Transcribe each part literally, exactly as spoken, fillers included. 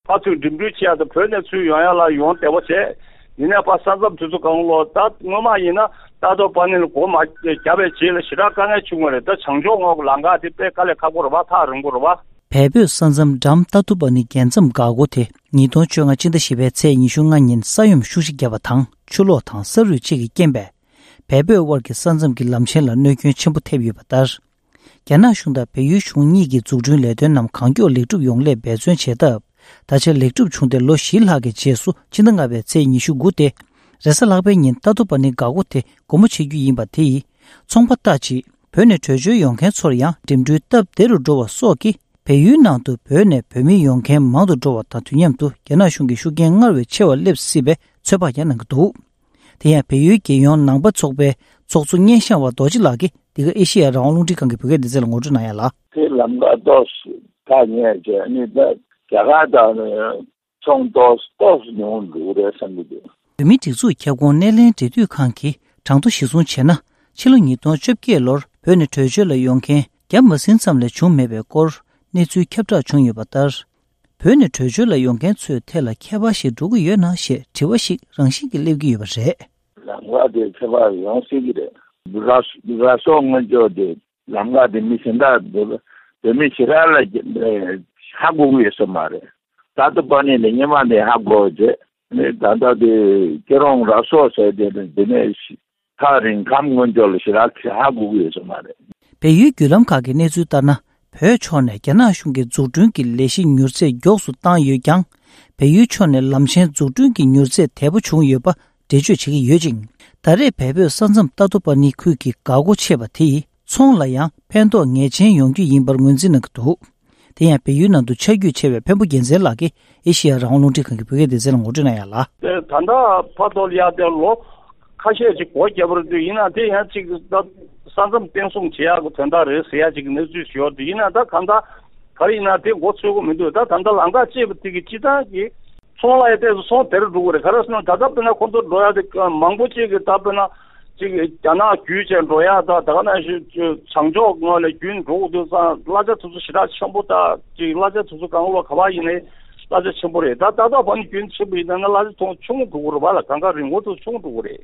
ཕར་ཚུར་འགྲིམ་འགྲུལ་བྱེད་ཡག་དང་། བོད་ནས་ཚུར་ཡོང་ཡག་ལ་ཡོང་བདེ་བོ་བྱས། ཡིན་ནའི་ཕར་ས་མཚམས་དེ་ཚོ་གང་ལོག་ད་སྔོན་མ་ཡིན་ན་ཏ་ཏོ་པ་ནི་ལ་སྒོ་མ་བརྒྱབ་པའི་རྗེས་ལ་ཞེ་དྲག་དཀའ་ངལ་བྱུང་བ་རེད། ད་བྱང་ཕྱོགས་ངོས་ཀྱི་ལམ་ཁ་དེ་དཔེ་དཀའ་ལས་ཁག་པོ་རེད་པ། ཐག་རིང་པོ་རེད་པ། བལ་བོད་ས་མཚམས་འགྲམ་ཏ་ཏོ་པ་ནི་རྒྱལ་མཚམས་འགག་སྒོ་དེ་ཉིས་སྟོང་བཅོ་ལྔ་སྤྱི་ཟླ་བཞི་པའི་ཚེས་ཉི་ཤུ་ལྔ་ཉིན་ས་ཡོམ་ཤུགས་ཆེ་བརྒྱབ་པ་དང་ཆུ་ལོག་དང་ས་རུད་བཅས་ཀྱི་རྐྱེན་པས། བལ་བོད་དབར་གྱི་ས་མཚམས་ཀྱི་ལམ་ཆེན་ལ་གནོད་སྐྱོན་ཆེན་པོ་ཐེབས་ཡོད་པ་ལྟར། རྒྱ་ནག་གཞུང་དང་བལ་ཡུལ་གཞུང་གཉིས་ཀྱི་འཛུགས་སྐྲུན་ལས་དོན་རྣམས་གང་མགྱོགས་ལེགས་གྲུབ་ཡོང་སླད་འབད་བརྩོན་བྱས་སྟབས། ད་ཆ་ལེགས་གྲུབ་བྱུང་སྟེ་ལོ་བཞི་ལྷག་གི་རྗེས་སུ་སྤྱི་ཟླ་ལྔ་པའི་ཚེས་ཉི་ཤུ་དགུ་སྟེ། རེས་གཟའ་ལྷག་པའི་ཉིན་ཏ་ཏོ་པ་ནི་འགག་སྒོ་དེ་སྒོ་མོ་ཕྱེ་རྒྱུ་ཡིན་པ་དེ་ཡིས་ཚོང་པ་ལྟ་ཅི། བོད་ནས་བྲོས་བྱོལ་ཡོང་མཁན་ཚོར་ཡང་འགྲིམ་འགྲུལ་སྟབས་བདེ་རུ་འགྲོ་བ་སོགས་ཀྱིས་བལ་ཡུལ་ནང་དུ་བོད་ནས་བོད་མི་ཡོང་མཁན་མང་དུ་འགྲོ་བ་དང་དུས་མཉམ་དུ་རྒྱ་ནག་གཞུང་གི་ཤུགས་རྐྱེན་སྔར་བས་ཆེ་བ་སླེབས་སྲིད་པའི་ཚོད་དཔག་ཀྱང་གནང་གི་འདུག་དེ་ཡང་བལ་ཡུལ་རྒྱལ་ཡོངས་ནང་པ་ཚོགས་པའི་ཚོགས་གཙོ་སྙན་ཤང་བ་རྡོ་རྗེ་ལགས་ཀྱིས་འདི་ག་ཨེ་ཤེ་ཡ་རང་དབང་རླུང་འཕྲིན་ཁང་གི་བོད་སྐད་སྡེ་ཚན་ལ་ངོ་སྤྲོད་གནང་ཡ་ལ། དེ་ལམ་ཁ་ཏོག་ཙམ་ཐག་ཉེ་བྱས་ནི་ད་རྒྱ་གར་དང་ཚོང་ཏོག་ཙམ་ཏོག་ཙམ་ཉུང་འགྲོ་གི་རེད་བསམ་གྱི་འདུག་བོད་མིའི་སྒྲིག་འཛུགས་ཁྱབ་ཁོངས་སྣེ་ལེན་འབྲེལ་མཐུད་ཁང་གིས་གྲངས་ཐོ་གཞིར་བཟུང་བྱས་ན། ཕྱི་ལོ་ཉིས་སྟོང་བཅོ་བརྒྱད་ལོར་བོད་ནས་བྲོས་བྱོལ་ལ་ཡོང་མཁན་བརྒྱ་མ་ཟིན་ཙམ་ལས་བྱུང་མེད་པའི་སྐོར་གནས་ཚུལ་ཁྱབ་བསྒྲགས་བྱུང་ཡོད་པ་ལྟར། བོད་ནས་བྲོས་བྱོལ་ལ་ཡོང་མཁན་ཚོའི་ཐད་ལ་ཁྱད་པར་ཞིག་འགྲོ་གི་ཡོད་ན་ཞེས་དྲི་བ་ཞིག་རང་བཞིན་གྱིས་སླེབས་ཀྱི་ཡོད་པ་རེད། ལམ་ཁ་དེ་ཁྱད་པར་ཡོང་སྲིད་ཀྱི་རེད། ར་ར་སོག་སྔོན་འཇོག་དེ་ལམ་ཁ་དེ་མི་གཞན་དག་བོད་བོད་མི་ཞེ་དྲག་ལ་ཧ་གོ་གི་ཡོད་ས་མ་རེད། ཏ་ཏོ་པ་ནི་ནས་སྔོན་མ་ནས་ཧ་གོ་བྱས། ནས་ད་ལྟ་དེ་སྐྱིད་རོང་ར་སོག་ཟེར་དེ་ནས་དེ་ནས་ཐག་རིང་ཁམས་སྔོན་འཇོག་ལ་ཞེ་དྲག་ཧ་གོ་གི་ཡོད་ས་མ་རེད། བལ་ཡུལ་བརྒྱུད་ལམ་ཁག་གི་གནས་ཚུལ་ལྟར་ན། བོད་ཕྱོགས་ནས་རྒྱ་ནག་གཞུང་གི་འཛུགས་སྐྲུན་གྱི་ལས་གཞི་མྱུར་ཚད་མགྱོགས་སུ་བཏང་ཡོད་ཀྱང་། བལ་ཡུལ་ཕྱོགས་ནས་ལམ་ཆེན་འཛུགས་སྐྲུན་གྱི་མྱུར་ཚད་དལ་པོ་བྱུང་ཡོད་པ་འགྲེལ་བརྗོད་བྱེད་ཀྱི་ཡོད་ཅིང་། ད་རེས་བལ་བོད་ས་མཚམས་ཏ་ཏོ་པ་ནི་ཁུལ་གྱི་འགག་སྒོ་ཕྱེ་བ་དེ་ཡིས་ཚོང་ལ་ཡང་ཕན་ཐོགས་ངེས་ཅན་ཡོང་རྒྱུ་ཡིན་པར་ངོས་འཛིན་གནང་གི་འདུག་དེ་ཡང་བལ་ཡུལ་ནང་དུ་ཆ་རྒྱུས་ཆེ་བའི་འཕན་པོ་རྒྱལ་མཚན་ལགས་ཀྱིས་ཨེ་ཤེ་ཡ་རང་དབང་རླུང་འཕྲིན་ཁང་གི་བོད་སྐད་སྡེ་ཚན་ལ་ངོ་སྤྲོད་གནང་ཡ་ལ། དེ་ད་ལྟ་བར་དུ་ཡ་དེ་ལོ་ཁ་ཤས་ཅིག་སྒོ་བརྒྱབ་པ་རེད་འདུག་ཡིན་ན་དེ་ཡང་ཅིག་ད་ས་མཚམས་བརྟན་སྲུང་བྱེད་ཡག་གི་དོན་དག་རེད་ཟེར་ཡ་ཅིག་གནས་ཚུལ་ཞིག་ཡོད་འདུག་ཡིན་ན་ད་གང་ལྟར་ག་རེ་ཡིན་ན་དེ་མགོ་ཚོས་ཀྱི་མི་འདུག་ད་ད་ལྟ་ལམ་ཁ་བཅད་པ་དེ་གི་སྤྱི་བཏང་གི་ཚོང་ལ་ཡ་ཏོག་ཙམ་ཚོང་དལ་འགྲོ་གི་རེད། ག་རེ་ཟེར་ན་ད་ལྟ་དཔེར་ན་ཁོང་ཚོ་འགྲོ་ཡ་དེ་མང་པོ་ཅིག་གི་ད་དཔེར་ན། ཅིག་རྒྱ་ནག་བརྒྱུད་བྱས་འགྲོ་ཡ་དང་ད་ག་ནང་བཞིན་བྱང་ཕྱོགས་ངོས་ལ་བརྒྱུད་འགྲོ་དགོས་དུས་ཙང་གླ་ཆ་དེ་ཚོ་ཞེ་དྲག་ཆེན་པོ་དང་ཅིག་གླ་ཆ་དེ་ཚོ་གང་ལོག་ག་པར་ཡིན་ནའི་གླ་ཆ་ཆེན་པོ་རེད། ད་ཏ་ཏོ་པ་ནི་རྒྱུན་ཆེན་པོ་ཡིན་ན་གླ་ཆ་ཐོང་ཆུང་ངུ་འགྲོ་གི་རེད་པ་ལ། གང་ག་རིན་གོང་དེ་ཆུང་ངུ་འགྲོ་གི་རེད།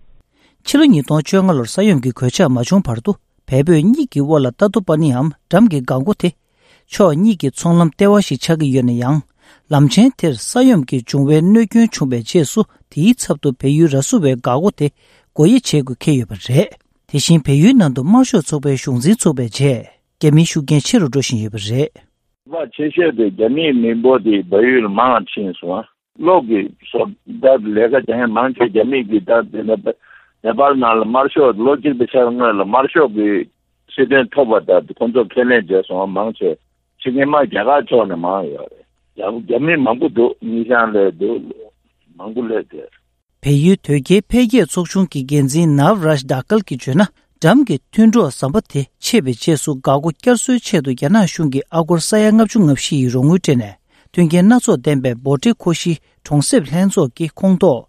ཕྱི་ལོ་ཉིས་སྟོང་བཅོ་ལྔ་ལོར་ས་ཡོམ་གྱི་གོད་ཆག་མ་བྱུང་བར་དུ་བལ་བོད་གཉིས་ཀྱི་དབར་ལ་ཏ་ཏོ་པ་ནིའམ་འགྲམ་གྱི་འགག་སྒོ་དེ། ཕྱོགས་གཉིས་ཀྱི་ཚོང་ལམ་ལྟེ་བ་ཞིག་ཆགས་ཀྱི་ཡོད་ན་ཡང་། ལམ་ཆེན་དེར་ས་ཡོམ་གྱིས་འབྱུང་བའི་གནོད་སྐྱོན་བྱུང་བའི་རྗེས་སུ་དེའི་ཚབ་ཏུ་བལ་ཡུལ་ར་སུ་བའི་འགག་སྒོ་དེ་སྒོ་དབྱེ་བྱེད་དགོས་འཁེལ་ཡོད་པ་རེད། དེ་བཞིན་བལ་ཡུལ་ནང་དུ་དམར་ཤོག་ཚོགས་པའི་གཞུང་འཛིན་ཚུགས་པའི་རྗེས་རྒྱ་མིའི་ཤུགས་རྐྱེན་ཆེ་རུ་འགྲོ་བཞིན་ཡོད་པ་རེད། ཁག་ཆེ་ཤོས་དེ་རྒྱ་མིའི་མི་འབོར་དེ་བལ་ཡུལ་ལ་མང་ཕྱིན་སོང་ང་། གློག་གི་སོ་ད་ལས་ཀ་བྱེད་མཁན་མང་ཆེ་རྒྱ་མི་གི་ད་དེ་ནེ་ནེ་པཱལ་ནང་ལ་དམར་ཤོག་ལོ་གཅིག་དང་ཕྱེད་ཀ་སྔོན་ལ་དམར་ཤོག་གི་སྲིད་དོན་ཐོབ་པ་ད་ཁོང་ཚོ་ཁས་ལེན་བྱས་སོང་མང་ཆེ། ཕྱི་རྒྱལ་མ་རྒྱ་གར་ཕྱོགས་ནས་མང་ཡོད་རེད། རྒྱ་རྒྱ་མི་མང་པོ་འདུག་ཉི་ཤང་སླེབས་འདུག་མང་པོ་སླེབས་ཏེ། བལ་ཡུལ་དོལ་རྒྱལ་འཕེལ་རྒྱས་ཚོགས་ཆུང་གི་འགན་འཛིན་ནཱབ་རཱཇ་དཱ་ཀལ་གྱིས་བརྗོད་ན། འགྲམ་གྱི་མཐུན་གྲོགས་ཟམ་པ་དེ་ཆད་པའི་རྗེས་སུ་འགག་སྒོ་བསྐྱར་གསོའི་ཆེད་དུ་རྒྱ་ནག་གཞུང་གིས་ཨ་སྒོར་ས་ཡ་ལྔ་བཅུ་ང་བཞི་ཡི་རོགས་དངུལ་སྤྲད་ནས་མཐུན་རྐྱེན་སྣ་ཚོགས་ལྡན་པའི་བྷོ་ཊེ་ཁོ་ཤི་གྲོང་གསེབ་ལྷན་ཚོགས་ཀྱི་ཁོངས་གཏོགས་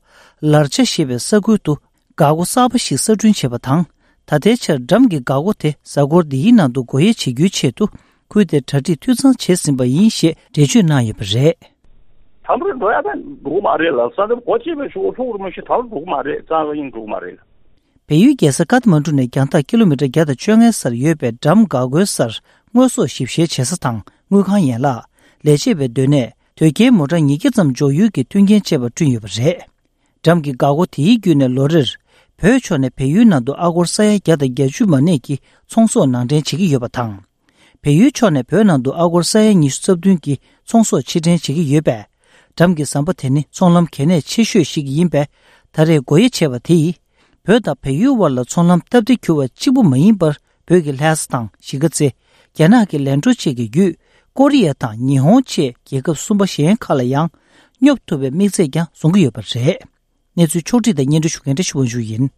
ལར་ཆ་ཞེས་པའི་ས་ཁུལ་དུ་འགག་སྒོ་གསར་པ་ཞིག་གསར་སྐྲུན་བྱས་པ་དང་། ད་ལྟའི་ཆར་འགྲམ་གྱི་འགག་སྒོ་དེ་གཟའ་འཁོར་འདིའི་ནང་དུ་སྒོ་དབྱེ་བྱེད་རྒྱུའི་ཆེད་དུ་ཁུལ་དེར་གྲ་སྒྲིག་འཐུས་ཚང་བྱས་ཟིན་པ་ཡིན་ཞེས་འགྲེལ་བརྗོད་གནང་ཡོད་པ་རེད། དམ་པོར་འགྲོ་ཡ་ད་འགྲོ་གི་མ་རེད་ལ། ས་མཚམས་སྒོ་ཕྱེ་བའི་ཤོག་ལྷུག་རུ་མ་ཤི་དམ་པོར་འགྲོ་གི་མ་རེད། རྩ་བ་ཡིན་འགྲོ་གི་མ་རེད། བལ་ཡུལ་རྒྱལ་ས་ཀཏ་མན་གྲུ་ནས་རྒྱང་ཐག་ཀི་ལོ་མི་ཊར་བརྒྱ་དང་བཅོ་ལྔའི་སར་ཡོད་པའི་འགྲམ་འགག་སྒོའི་སར་དངོས་ཟོག་ཞིབ་བཤེར་བྱེད་ས་དང་དངུལ་ཁང་ཡན་ལག་ལས་བྱེད་པའི་སྡོད་གནས། དོས་སྐྱེལ་མོ་ཊ་ཉིས་བརྒྱ་ཙམ་འཇོག་ཡུལ་གྱི་མཐུན་རྐྱེན་བཅས་པ་བསྐྲུན་ཡོད་པ་རེད། འགྲམ་གྱི་འགག་སྒོ་དེའི་བརྒྱུད་ནས་ལོ་རེར་བོད་ཕྱོགས་ནས་བལ་ཡུལ་ནང་དུ་ཨ་སྒོར་ས་ཡ་བརྒྱ་དང་བརྒྱད་ཅུ་མ་ནས་ཀྱི་ཚོང་ཟོག་ནང་འདྲེན་བྱེད་ཀྱི་ཡོད་པ་དང་། བལ་ཡུལ་ཕྱོགས་ནས་བོད་ནང་དུ་ཨ་སྒོར་ས་ཡ་ཉི་ཤུ་རྩ་བདུན་གྱི་ཚོང་ཟོག་ཕྱིར་འདྲེན་བྱེད་ཀྱི་ཡོད་པས། འགྲམ་གྱི་ཟམ་པ་དེ་ནི་ཚོང་ལམ་གལ་གནད་ཆེ་ཤོས་ཤིག་ཡིན་པས། ད་རེས་སྒོ་དབྱེ་བྱས་པ་དེ་ཡིས། བོད་དང་བལ་ཡུལ་དབར་ལ་ཚོང་ལམ་སྟབས་བདེ་གྱུར་བ་གཅིག་པུ་མ་ཡིན་པར། བོད་ཀྱི་ལྷ་ས་དང་གཞིས་ཀ་རྩེ། རྒྱ་ནག་གི་ལན་ཀྲོ་བཅས་ཀྱི་བརྒྱུད། ཀོ་རི་ཡ་དང་ཉི་ཧོང་བཅས་རྒྱལ་ཁབ་གསུམ་པ་གཞན་ཁག་ལ་ཡང་། སྙོབ་ཐུབ་པའི་དམིགས་ཚད་ཀྱང་བཟུང་གི་ཡོད་པ་རེད། གནས་ཚུལ་ཕྱོགས་བསྒྲིགས་དང་སྙན་སྒྲོན་ཞུ་མཁན་བཀྲ་ཤིས་དབང་ཕྱུག་ཡིན།